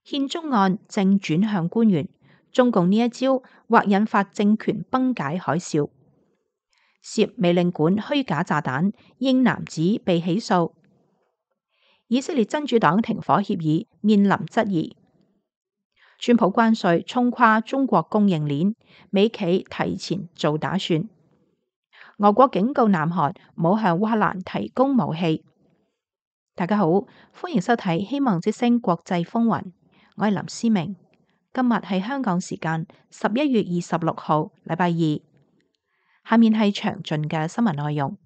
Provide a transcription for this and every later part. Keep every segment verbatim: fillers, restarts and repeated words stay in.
憲中案正轉向官員，中共呢一招或引發政權崩解海嘯。涉美領館虛假炸彈，英男子被起訴。以色列真主黨停火協議面臨質疑。川普關稅衝垮中國供應鏈，美企提前做打算。俄國警告南韓唔好向烏克蘭提供武器。大家好，歡迎收睇《希望之聲國際風雲》，我係林思明。今日係香港時間十一月二十六號，禮拜二。下面係詳盡嘅新聞內容。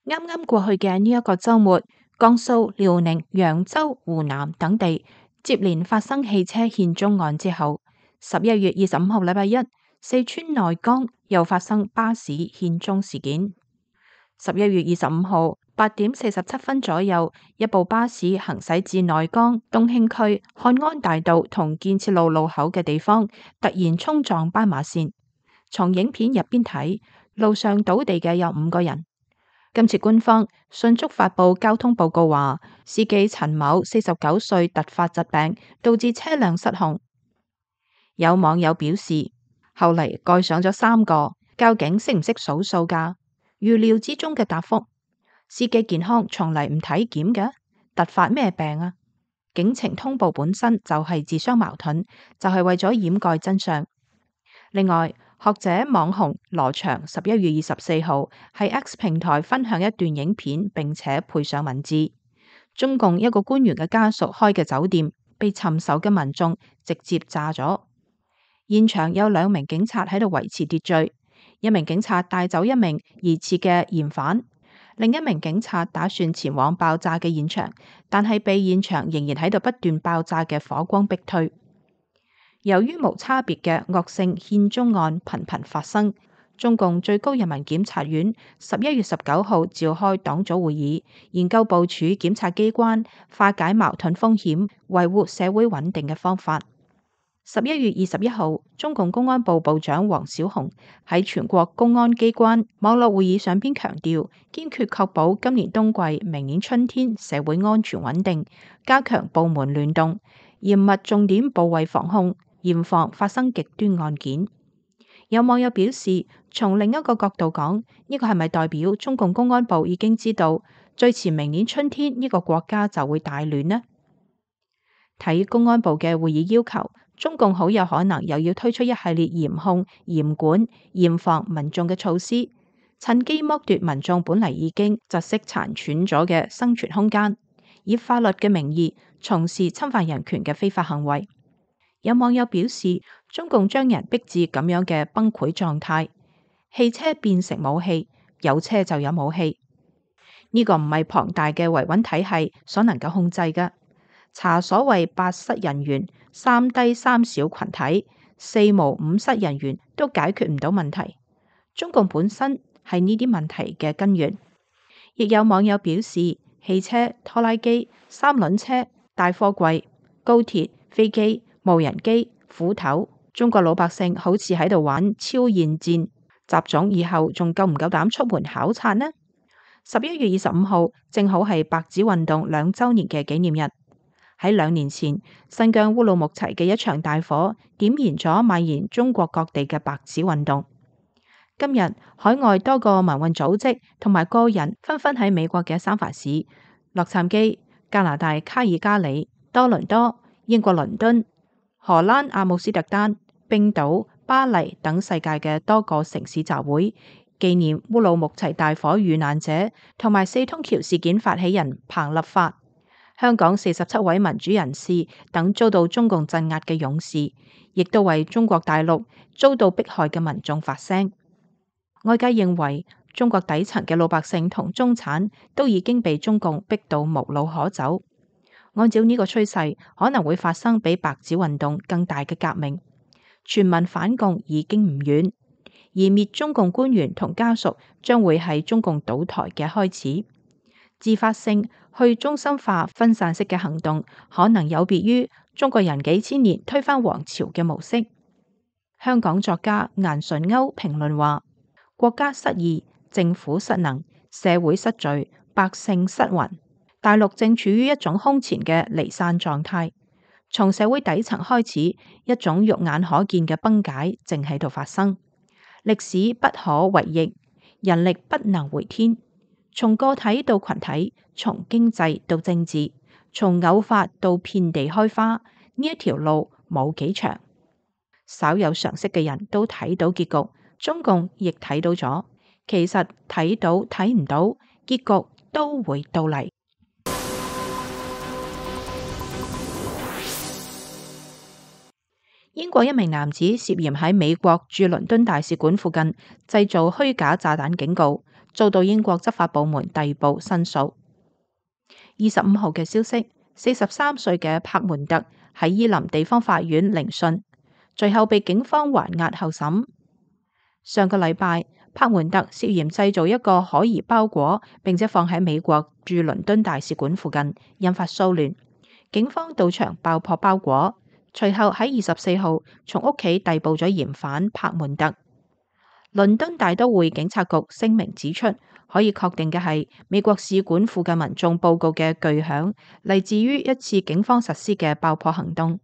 啱啱過去嘅呢一個週末，江蘇、遼寧、揚州、湖南等地接連發生汽車獻中案之後，十一月二十五號禮拜一，四川內江又發生巴士獻中事件。十一月二十五號八點四十七分左右，一部巴士行駛至內江東興區漢安大道同建設路路口嘅地方，突然衝撞斑馬線。從影片入邊睇，路上倒地嘅有五個人。今次官方迅速發布交通報告話，司機陳某四十九歲，突發疾病導致車輛失控。有網友表示，後嚟蓋上咗三個，交警識唔識數數噶？預料之中嘅答覆。司機健康從嚟唔體檢嘅，突發咩病啊？警情通報本身就係自相矛盾，就係為咗掩蓋真相。另外，學者網紅羅翔十一月二十四號喺 X 平台分享一段影片，並且配上文字。中共一個官員嘅家屬開嘅酒店被尋仇嘅民眾直接炸咗，現場有兩名警察喺度維持秩序，一名警察帶走一名疑似嘅嫌犯，另一名警察打算前往爆炸嘅現場，但係被現場仍然喺度不斷爆炸嘅火光逼退。由於無差別嘅惡性獻中案頻頻發生，中共最高人民檢察院十一月十九號召開黨組會議，研究部署檢察機關化解矛盾風險、維護社會穩定嘅方法。十一月二十一號，中共公安部部長王小洪喺全國公安機關網絡會議上邊強調，堅決確保今年冬季、明年春天社會安全穩定，加強部門聯動，嚴密重點部位防控，嚴防發生極端案件。有網友表示，從另一個角度講，呢個係咪代表中共公安部已經知道最遲明年春天呢個國家就會大亂呢？睇公安部嘅會議要求，中共好有可能又要推出一系列嚴控、嚴管、嚴防民眾嘅措施，趁機剝奪民眾本嚟已經窒息殘喘咗嘅生存空間，以法律嘅名義從事侵犯人權嘅非法行為。有網友表示，中共將人逼至咁樣嘅崩潰狀態，汽車變成武器，有車就有武器。呢、這個唔係龐大嘅維穩體系所能夠控制嘅。查所謂八失人員、三低三小群體、四無五失人員都解決唔到問題。中共本身係呢啲問題嘅根源。亦有網友表示，汽車、拖拉機、三輪車、大貨櫃、高鐵、飛機、無人機、斧頭，中國老百姓好似喺度玩超現戰。習總以後仲夠唔夠膽出門考察呢？十一月二十五號正好係白紙運動兩週年嘅紀念日。喺兩年前，新疆烏魯木齊嘅一場大火點燃咗蔓延中國各地嘅白紙運動。今日海外多個民運組織同埋個人紛紛喺美國嘅三藩市、洛杉磯、加拿大卡爾加里、多倫多、英國倫敦、荷蘭阿姆斯特丹、冰島、巴黎等世界嘅多個城市集會，紀念烏魯木齊大火遇難者同埋四通橋事件發起人彭立發。香港四十七位民主人士等遭到中共鎮壓嘅勇士，亦都為中國大陸遭到迫害嘅民眾發聲。外界認為，中國底層嘅老百姓同中產都已經被中共逼到無路可走。按照呢個趨勢，可能會發生比白紙運動更大嘅革命。全民反共已經唔遠，而滅中共官員同家屬將會係中共倒台嘅開始。自發性去中心化分散式嘅行動，可能有別於中國人幾千年推翻皇朝嘅模式。香港作家顏純鈎評論話：國家失義，政府失能，社會失序，百姓失魂，大陸正處於一種空前嘅離散狀態。從社會底層開始，一種肉眼可見嘅崩解正喺度發生。歷史不可違逆，人力不能回天。從個體到群體，從經濟到政治，從偶發到遍地開花，呢一條路冇幾長。稍有常識嘅人都睇到結局，中共亦睇到咗。其實睇到睇唔到，結局都會到嚟。英國一名男子涉嫌喺美國駐倫敦大使館附近製造虛假炸彈警告，遭到英國執法部門逮捕申訴。二十五號嘅消息，四十三歲嘅柏門特喺伊林地方法院聆訊，最後被警方還押候審。上個禮拜，柏門特涉嫌製造一個可疑包裹，並且放喺美國駐倫敦大使館附近，引發騷亂。警方到場爆破包裹，隨後喺二十四號從屋企逮捕咗嫌犯柏門特。倫敦大都會警察局聲明指出，可以確定嘅係美國使館附近民眾報告嘅巨響嚟自於一次警方實施嘅爆破行動。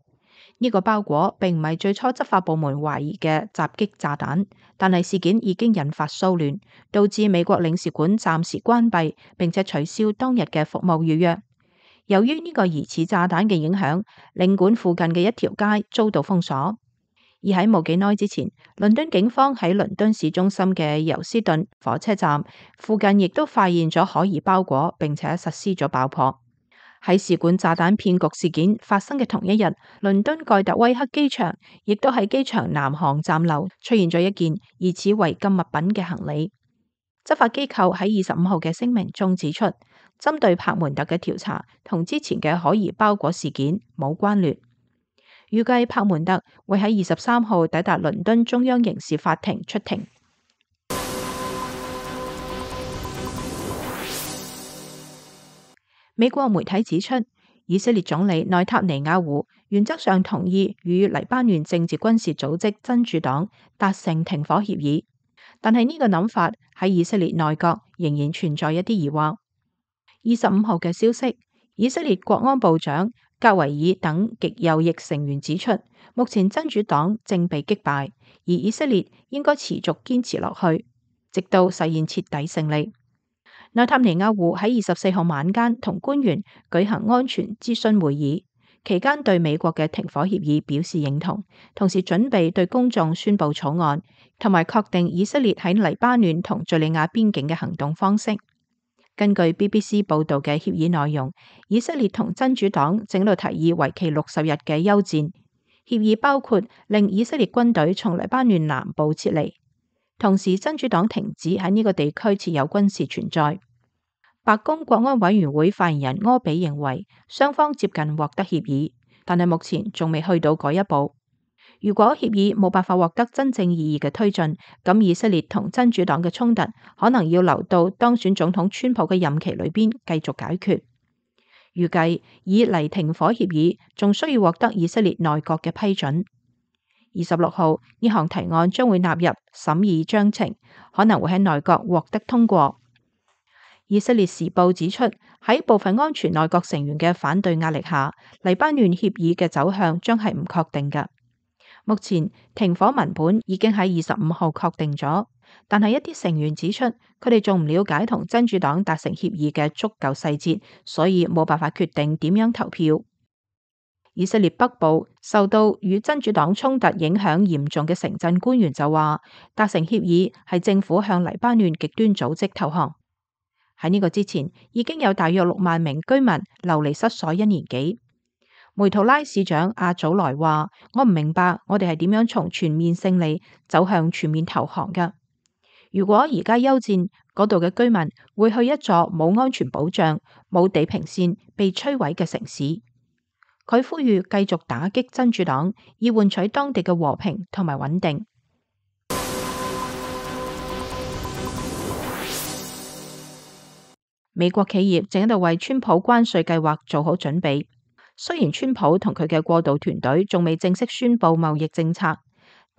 呢個包裹並唔係最初執法部門懷疑嘅襲擊炸彈，但係事件已經引發騷亂，導致美國領事館暫時關閉，並且取消當日嘅服務預約。由於呢個疑似炸彈嘅影響，領館附近嘅一條街遭到封鎖。而喺冇幾耐之前，倫敦警方喺倫敦市中心嘅尤斯頓火車站附近亦都發現咗可疑包裹，並且實施咗爆破。喺使館炸彈騙局事件發生嘅同一日，倫敦蓋特威克機場亦都喺機場南航站樓出現咗一件疑似違禁物品嘅行李。執法機構喺二十五號嘅聲明中指出，針對柏門特嘅調查同之前嘅可疑包裹事件冇關聯。預計柏門特會喺二十三號抵達倫敦中央刑事法庭出庭。美國媒體指出，以色列總理內塔尼亞胡原則上同意與黎巴嫩政治軍事組織真主黨達成停火協議，但係呢個諗法喺以色列內閣仍然存在一啲疑惑。二十五號嘅消息，以色列國安部長格維爾等極右翼成員指出，目前真主黨正被擊敗，而以色列應該持續堅持落去，直到實現徹底勝利。內塔尼亞胡喺二十四號晚間同官員舉行安全諮詢會議，期間對美國嘅停火協議表示認同，同時準備對公眾宣布草案，同埋確定以色列喺黎巴嫩同敘利亞邊境嘅行動方式。根據 B B C 報道嘅協議內容，以色列同真主黨正喺度提議為期六十日嘅休戰。協議包括令以色列軍隊從黎巴嫩南部撤離，同時真主黨停止喺呢個地區設有軍事存在。白宮國安委員會發言人柯比認為，雙方接近獲得協議，但係目前仲未去到嗰一步。如果協議冇辦法獲得真正意義嘅推進，咁以色列同真主黨嘅衝突可能要留到當選總統川普嘅任期裏邊繼續解決。預計以嚟停火協議仲需要獲得以色列內閣嘅批准。二十六號呢項提案將會納入審議章程，可能會喺內閣獲得通過。以色列時報指出，喺部分安全內閣成員嘅反對壓力下，黎巴嫩協議嘅走向將係唔確定嘅。目前停火文本已經喺二十五號確定咗，但係一啲成員指出，佢哋仲唔了解同真主黨達成協議嘅足夠細節，所以冇辦法決定點樣投票。以色列北部受到與真主黨衝突影響嚴重嘅城鎮官員就話，達成協議係政府向黎巴嫩極端組織投降。喺呢個之前，已經有大約六萬名居民流離失所一年幾。梅圖拉市長阿祖萊話：我唔明白我哋係點樣從全面勝利走向全面投降㗎。如果而家休戰，嗰度嘅居民會去一座冇安全保障、冇地平線、被摧毀嘅城市。佢呼籲繼續打擊真主黨，以換取當地嘅和平同埋穩定。美國企業正喺度為川普關稅計劃做好準備。雖然川普同佢嘅過渡團隊仲未正式宣布貿易政策，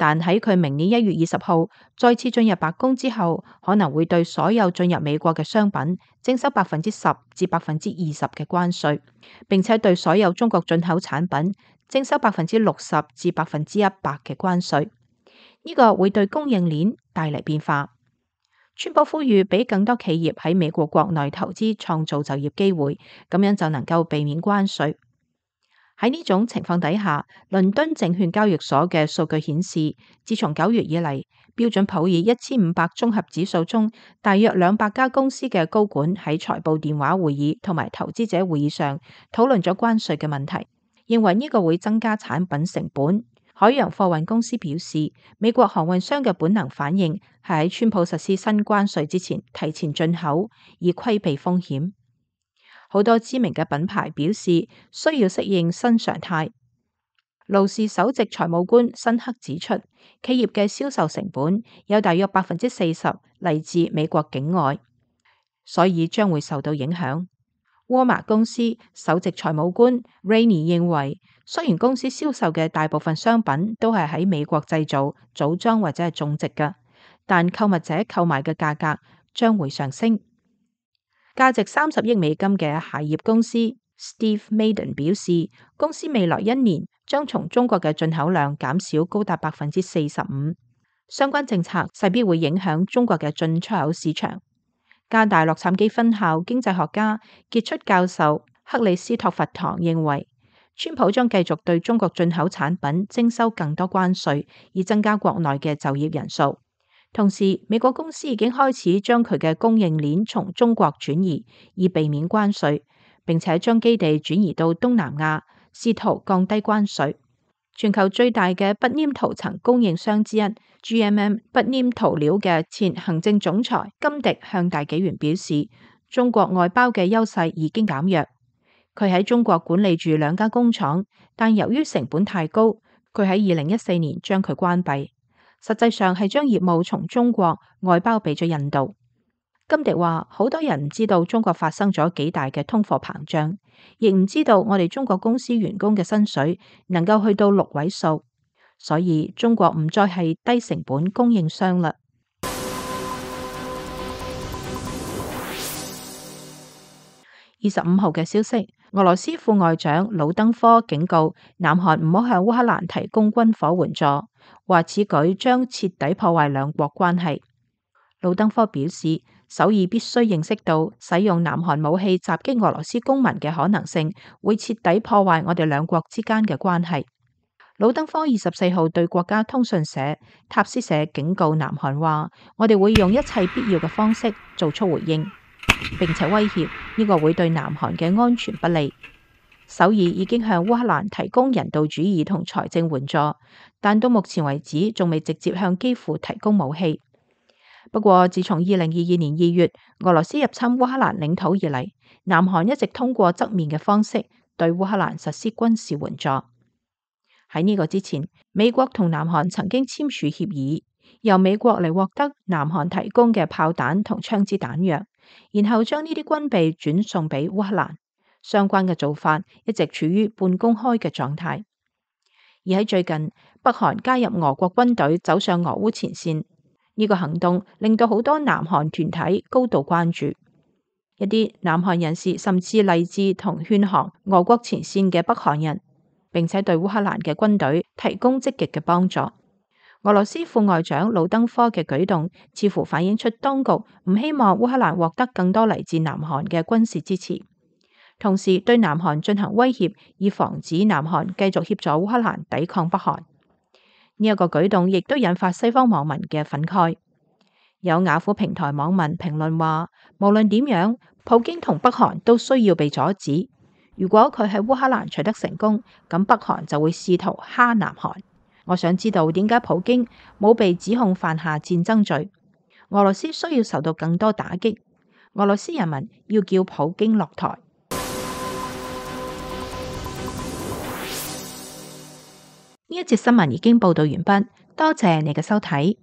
但喺佢明年一月二十號再次進入白宮之後，可能會對所有進入美國嘅商品徵收百分之十至百分之二十嘅關稅，並且對所有中國進口產品徵收百分之六十至百分之一百嘅關稅。呢個會對供應鏈帶嚟變化。川普呼籲俾更多企業喺美國國內投資，創造就業機會，咁樣就能夠避免關稅。喺呢種情況底下，倫敦證券交易所嘅數據顯示，自從九月以嚟，標準普爾一千五百綜合指數中，大約兩百家公司嘅高管喺財報電話會議同埋投資者會議上討論咗關稅嘅問題，認為呢個會增加產品成本。海洋貨運公司表示，美國航運商嘅本能反應係喺川普實施新關稅之前提前進口，以規避風險。好多知名嘅品牌表示需要適應新常態。勞氏首席財務官辛克指出，企業嘅銷售成本有大約百分之四十嚟自美國境外，所以將會受到影響。沃爾瑪公司首席財務官 Rainey 認為，雖然公司銷售嘅大部分商品都係喺美國製造、組裝或者係種植嘅，但購物者購買嘅價格將會上升。價值三十億美金嘅鞋業公司 Steve Madden 表示，公司未來一年將從中國嘅進口量減少高達百分之四十五。相關政策勢必會影響中國嘅進出口市場。加大洛杉磯分校經濟學家傑出教授克里斯托弗唐認為，川普將繼續對中國進口產品徵收更多關稅，以增加國內嘅就業人數。同時，美國公司已經開始將佢嘅供應鏈從中國轉移，以避免關稅，並且將基地轉移到東南亞，試圖降低關稅。全球最大嘅不黏塗層供應商之一 G M M 不黏塗料嘅前行政總裁金迪向大紀元表示，中國外包嘅優勢已經減弱。佢喺中國管理住兩家工廠，但由於成本太高，佢喺二零一四年將佢關閉。實際上係將業務從中國外包俾咗印度。金迪話，好多人唔知道中國發生咗幾大嘅通貨膨脹，亦唔知道我哋中國公司員工嘅薪水能夠去到六位數，所以中國唔再係低成本供應商啦。二十五號嘅消息，俄羅斯副外長魯登科警告南韓唔好向烏克蘭提供軍火援助，話此舉將徹底破壞兩國關係。魯登科表示，首爾必須認識到使用南韓武器襲擊俄羅斯公民嘅可能性，會徹底破壞我哋兩國之間嘅關係。魯登科二十四號對國家通訊社塔斯社警告南韓話，我哋會用一切必要嘅方式做出回應，並且威脅呢個會對南韓嘅安全不利。首爾已經向烏克蘭提供人道主義同財政援助，但到目前為止仲未直接向基輔提供武器。不過，自從二零二二年二月俄羅斯入侵烏克蘭領土以嚟，南韓一直通過側面嘅方式對烏克蘭實施軍事援助。喺呢個之前，美國同南韓曾經簽署協議，由美國嚟獲得南韓提供嘅炮彈同槍支彈藥，然後將呢啲軍備轉送俾烏克蘭。相關嘅做法一直處於半公開嘅狀態。而喺最近，北韓加入俄國軍隊走上俄烏前線，呢個行動令到好多南韓團體高度關注。一啲南韓人士甚至勵志同勸降俄國前線嘅北韓人，並且對烏克蘭嘅軍隊提供積極嘅幫助。俄羅斯副外長魯登科嘅舉動似乎反映出當局唔希望烏克蘭獲得更多嚟自南韓嘅軍事支持，同時對南韓進行威脅，以防止南韓繼續協助烏克蘭抵抗北韓。呢一個舉動亦都引發西方網民嘅憤慨。有雅虎平台網民評論話，無論點樣，普京同北韓都需要被阻止。如果佢喺烏克蘭取得成功，咁北韓就會試圖蝦南韓。我想知道點解普京冇被指控犯下戰爭罪？俄羅斯需要受到更多打擊。俄羅斯人民要叫普京落台。呢一節新聞已經報道完畢，多謝你嘅收睇。